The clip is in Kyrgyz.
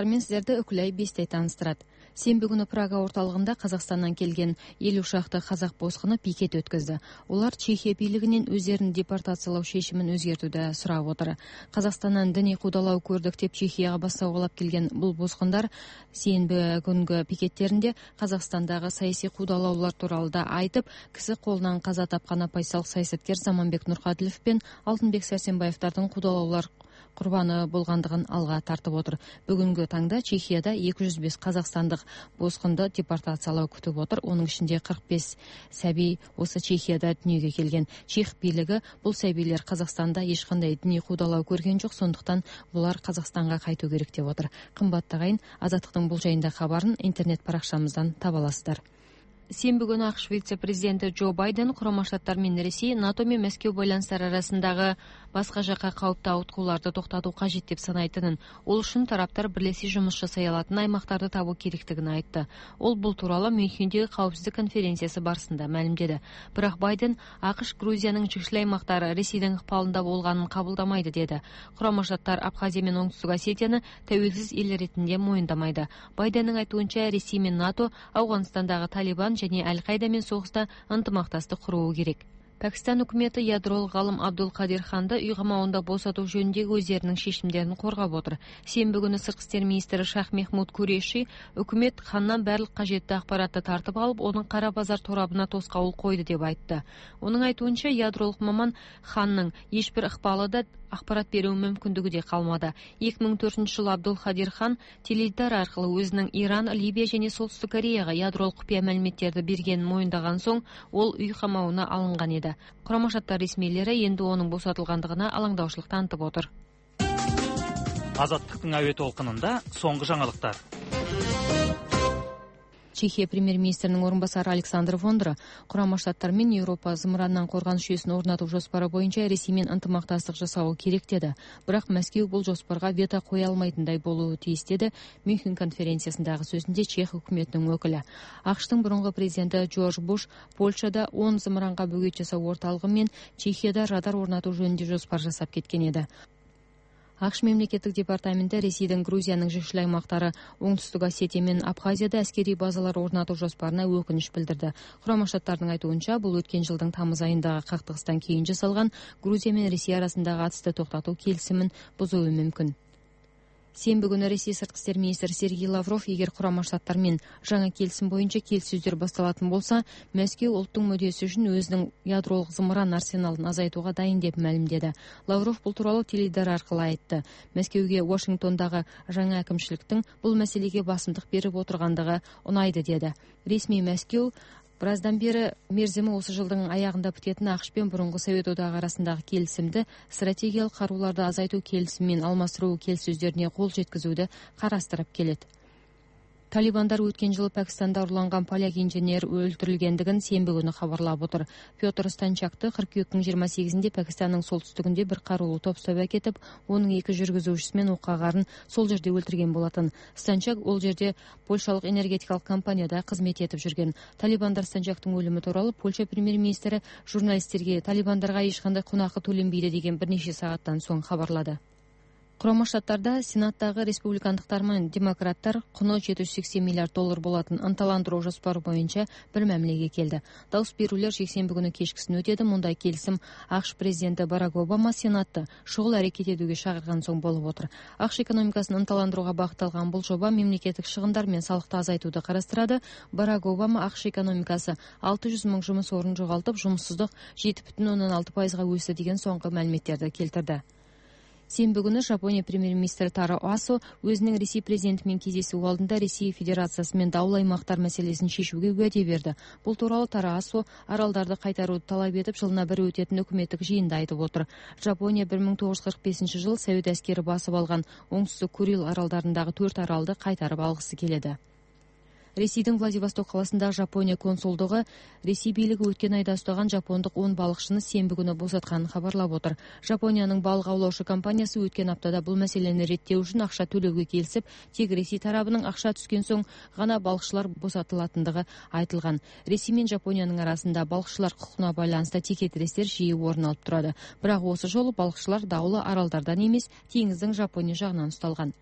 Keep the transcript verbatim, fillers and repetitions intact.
Мен сиздерди Өкүлай Бестей тааныштырат. Сенби күнү Прага орталыгында Казакстандан келген элүү шакты казак боскуну пикет өткөздү. Улар Чехия бийлигинен өздөрүн депортациялоо шешимин өзгөртүүдө сурап отур. Казакстандан диний куудалоо көрдүк деп Чехияга бассагалап келген бул боскундар сенби күнгө пикеттеринде Казакстандагы саясий куудалоолор тууралуу да айтып, киси колунан каза тапкан оппозициялык саясаткер Заманбек Нуркадилов менен Алтынбек Сарсенбаевдардын куудалоолор курбаны болгондугун алга тартып отур. Бүгүнкү таңда Чехияда эки жүз беш казакстандык боскунду депортациялоо күтүп отур. Онун ичинде кырк беш сабий осы Чехияда дүнүйгө келген. Чех бийлиги бул сабийлер Казакстанда эч кандай диний куудалоо көргөн жок, сондуктан булар Казакстанга кайтуу керек деп отур. Кымбаттуу агайын, Азаттыктын бул жайында кабарын интернет баракчамыздан таба аласыздар. Сенби күнү АКШ вице-президенти Джо Байден Курама Штаттар менен Ресей НАТО менен Москва байланыштары арасындагы башка жакка кауптуу ауткууларды токтотуу кажет деп санайтынын, ол үчүн тараптар бирлешип жумуш жасай алатын аймактарды табуу керектигин айтты. Ол бул тууралуу Мюнхендеги каапсыздык конференциясы барысында маалимдеди. Бирок Байден АКШ Грузиянын чыгыш аймактары Ресейдин ыкпалында болгонун кабылдамайды деди. Курама Штаттар Абхазия менен Оңтүстүк Осетияны тәуелсиз эл иретинде моюндамайды. Байдендин айтуунча, Ресей менен НАТО Афганистандагы Талибан және Аль-Каида менен согуста ынтымактастык куруу керек. Пакистан өкмөтү ядролук галым Абдул Кадир Ханды үй камауында босотуу жөнүндөгү өздеринин шешимдерин коргап отур. Сенби күнү сырткы иштер министри Шах Мехмуд Куреши өкмөт Хандан баардык кажеттүү акпаратты тартып алып, анын кара базар торабына тоскоол койду деп айтты. Онун айтуунча, ядролук маман Ханнын эч бир ыкпалы да акпарат берүү мүмкүндүгү де калмады. эки миң төртүнчү жылы Абдул Кадир Хан теледидар аркылуу өзүнүн Иран, Либия және Солтүстүк Кореяга ядролук купуя маалиметтерди бергенин моюндаган соң, ол үй камауына алынган эди. Курама Штаттар ресмийлери энди онун босотулгандыгына алаңдаушылык тантып отур. Азаттыктын абе толкунунда соңку жаңылыктар. Чехия премьер-министринин орун басары Александр Вондра Курама Штаттар менен Европа зымырандан коргонуш жүйөсүн орнотуу жоспору боюнча Ресей менен ынтымактастык жасоо керек деди. Бирок Москва бул жоспорго вето кое алмайтындай болуу тийиз деди Мюнхен конференциясындагы сөзүндө Чех өкмөтүнүн өкүлү. АКШтын мурунку президенти Джордж Буш Польшада он зымыранга бөгөт жасоо орталыгы менен Чехияда радар орнотуу жөнүндө жоспор жасап кеткен эди. АКШ мемлекеттик департаменти Ресейдин Грузиянын жыгыш аймактары Оңтүстүк Осетия менен Абхазияда аскерий базалар орнотуу жоспоруна өкүнүч билдирди. Курама Штаттардын айтуунча, бул өткөн жылдын тамыз айындагы кактыгыстан кийин жасалган Грузия менен Ресей арасындагы атысты токтотуу келисимин бузуу мүмкүн. Сенби күнү Ресей сырткы иштер министри Сергей Лавров, эгер Курама Штаттар менен жаңы келисим боюнча келиссөздөр башталатын болсо, Москва улуттук мүддөсү үчүн өзүнүн ядролук зымыран арсеналын азайтууга дайын деп маалимдеди. Лавров бул тууралуу теледидар аркылуу айтты. Москвага Вашингтондагы жаңы акимчиликтин бул маселеге басымдык берип отургандыгы унайды деди. Ресми Москва Бираздан бери мерзими осы жылдың аягында бүтетін АКШ пен бурунку Совет одағы арасындағы келісімді стратегиялық карууларды азайтуу келисимин алмаштыруу келиссөздөрүнө кол жеткизүүдө карастырып келет. Талибандар өткен жылы Пакистанда урланган поляк инженер өлтүрүлгендигин сенби күнү кабарлап отур. Петр Станчакты кыркүйөктүн жыйырма сегизинде Пакистанның солтүстүгүндө бир каруулуу топ соп әкетип, онун эки жүргүзүүчүсү менен окагарын сол жерде өлтүрген болатын. Станчак ол жерде польшалык энергетикалык компанияда кызмет этип жүргөн. Талибандар Станчактын өлүмү тууралуу Польша премьер-министри журналисттерге Талибандарга эч кандай кунакы төленбейди деген бир нече сааттан соң кабарлады. Курама Штаттарда Сенаттагы республикандыктар менен демократтар куну жети жүз сексен миллиард доллар болатын ынталандыруу жоспору боюнча бир мамилеге келди. Дауыс берүүлөр жексенби күнү кечкисин өтөдү. Мындай келисим АКШ президенти Барак Обама Сенатты шугул аракет этүүгө чакырган соң болуп отур. АКШ экономикасын ынталандырууга багытталган бул жоба мемлекеттик чыгымдар менен салыкты азайтууду карастырады. Барак Обама АКШ экономикасы алты жүз миң жумуш орун жоготуп, жумуссуздук жети бүтүн ондон алты пайызга өсті деген соңку маалиметтерди келтирди. Сенби күнү Жапония премьер-министри Таро Асо өзүнүн Ресей президенти менен кездешүү алдында Ресей Федерациясы менен дауыл аймактар маселесин чечүүгө уәде берди. Бул тууралуу Таро Асо аралдарды кайтарууду талап этип, жылына бир өтөтүн өкмөттүк жыйында айтып отур. Жапония бир миң тогуз жүз кырк бешинчи жылы Совет аскери басып алган Оңтүстүк Курил аралдарындагы төрт аралды кайтарып алгысы келеди. Ресейдин Владивосток каласындагы Жапония консулдугу Ресей бийлиги өткөн айда устаган жапондук он балыкчыны сенби күнү босотканын кабарлап отур. Жапониянын балык аулоочу компаниясы өткөн аптада бул маселени реттөө үчүн акча төлөөгө келишип, тек Ресей тарабынын акча түскөн соң гана балыкчылар босотулатындыгы айтылган. Ресей менен Жапониянын арасында балыкчылар укугуна байланыштуу текетирестер жиі орун алып турат. Бирок осы жолу балыкчылар даулы аралдардан эмес, теңиздин Жапония жагынан усталган.